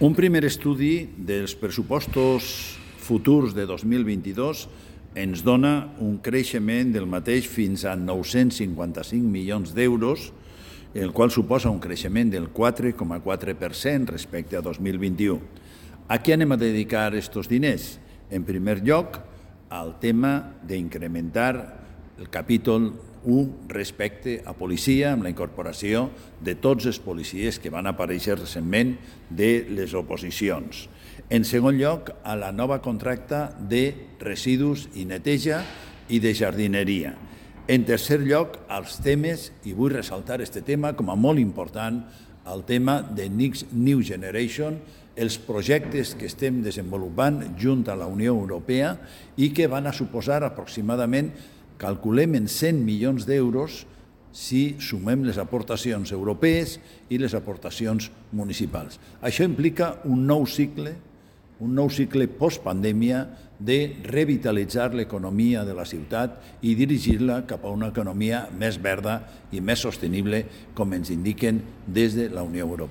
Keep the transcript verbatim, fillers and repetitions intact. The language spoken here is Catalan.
Un primer estudi dels pressupostos futurs de dos mil vint-i-dos ens dona un creixement del mateix fins a nou-cents cinquanta-cinc milions d'euros, el qual suposa un creixement del quatre coma quatre per cent respecte a dos mil vint-i-u. A què anem a dedicar aquests diners? En primer lloc, al tema d'incrementar el capítol u respecte a policia, amb la incorporació de tots els policies que van aparèixer recentment de les oposicions. En segon lloc, a la nova contracta de residus i neteja i de jardineria. En tercer lloc, als temes, i vull ressaltar aquest tema com a molt important, el tema de Next New Generation, els projectes que estem desenvolupant junt a la Unió Europea i que van a suposar aproximadament, calculem en cent milions d'euros si sumem les aportacions europees i les aportacions municipals. Això implica un nou cicle, un nou cicle postpandèmia de revitalitzar l'economia de la ciutat i dirigir-la cap a una economia més verda i més sostenible, com ens indiquen des de la Unió Europea.